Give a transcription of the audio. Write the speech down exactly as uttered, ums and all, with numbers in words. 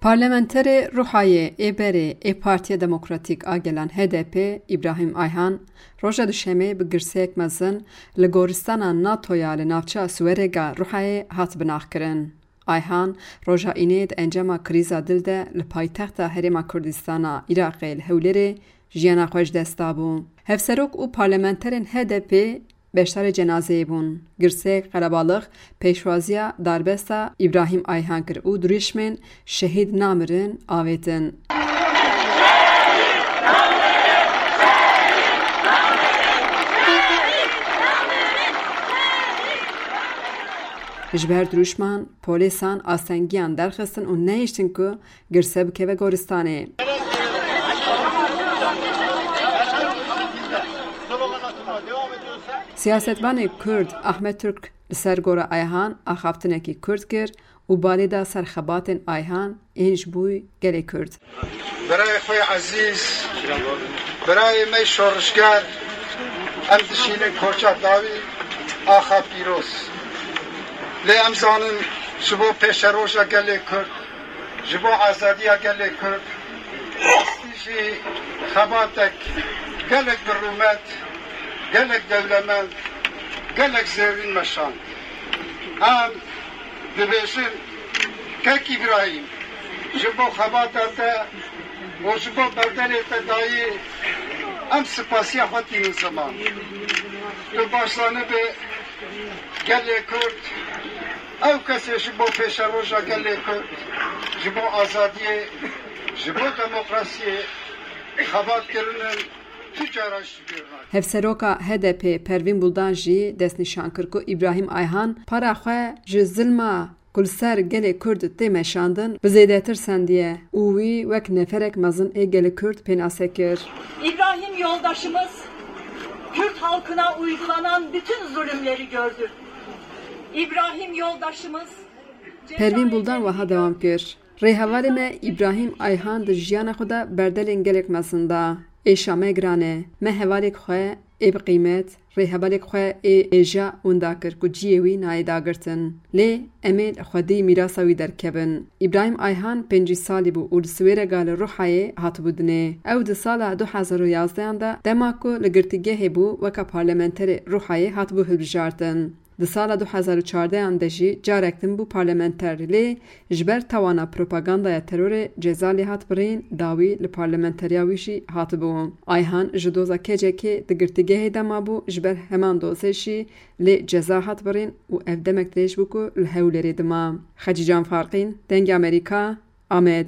Parlamenterê Ruhayê ê berê ê Partiya Demokratîk a Gelan H D P Îbrahîm Ayhan roja Duşemê bi girseyek mezin li goristana NATO ya li navçeya Siwerega Ruhayê hat binaxkirin. Ayhan roja Înê di encama krîza dil de li paytexta Herêma Kurdistana Iraqê li Hewlêrê jiyana xwe ji dest dabû. Hevserok û parlamenterên H D P beşdarê cenazeyê bûn. Girseyek qerebalix pêşwaziya darbesta Îbrahîm Ayhan kir û dirûşmên "Şehîd namirin" avêtin. Ji ber dirûşman polîsan astengiyan derxistin û nehiştin ku girse bikeve goristanê. Siyasetvanê Kurd Ahmet Türk li ser gora Ayhan axaftinekî kurt kir û balê da ser xebatên Ayhan ên ji bo gelê Kurd. Birayê xwe yê ezîz, birayê me şorişger, em dişînin koça dawî axa pîroz. Lê em zanin ji bo pêşeroja gelê Kurd, ji bo azadiya gelê Kurd, jî xebatek gelek bi rûmet, gelek dewlemend, gelek zêrîn meşand. Em dibêjin, Kek Îbrahîm, ji bo xebata te û ji bo berdelê te dayî, em spasiya xwe tînin ziman. Tu baş zanibî, gelê Kurd, ew kesê ji bo pêşeroja gelê Kurd, ji bo azadiyê, ji bo demokrasiyê xebat kirinin, tu cara ji bîr nake. Hevseroka H D P Pervîn Buldan jî destnîşan kir ku Îbrahîm Ayhan para xwe ji zilma ku li ser gelê Kurd tê meşandin, bi zêdetir sendiye û wî wek neferek mezin ê gelê Kurd pênase kir. İbrahim yoldaşımız Kürt halkına uygulanan bütün zulümleri gördü. İbrahim yoldaşımız Pervîn Buldan wiha dewam kir. Rêhevalê me Îbrahîm Ayhan di jiyana xwe de berdelên gelek mezin da. Êşa me giran e. Me hevalek xwe ê bi qîmet, rêhevalek xwe ê hêja winda kir ku cihê wî nayê dagirtin. Lê em ê li xwedî mîrasa wî derkevin. Îbrahîm Ayhan pêncî salî bû û li Siwêrega li Ruhayê hatibû dinê. Ew di sala du hezar û yazdehan de dema ku li girtîgehê bû weke parlamenterê Ruhayê hatibû hilbijartin. Di sala du hezar û çardehan de jî carek din bû parlamenter, lê ji ber tawana propagandaya terorê ceza lê hat birîn, dawî li parlamenteriya wî jî hatibû. Ayhan ji doza K C K'ê di girtîgehê de mabû, ji ber heman dozê jî lê ceza hat birîn û ev demek dirêj bû ku li Hewlêrê dima. Xecîcan Farqîn, Dengê Amerîka, Amed.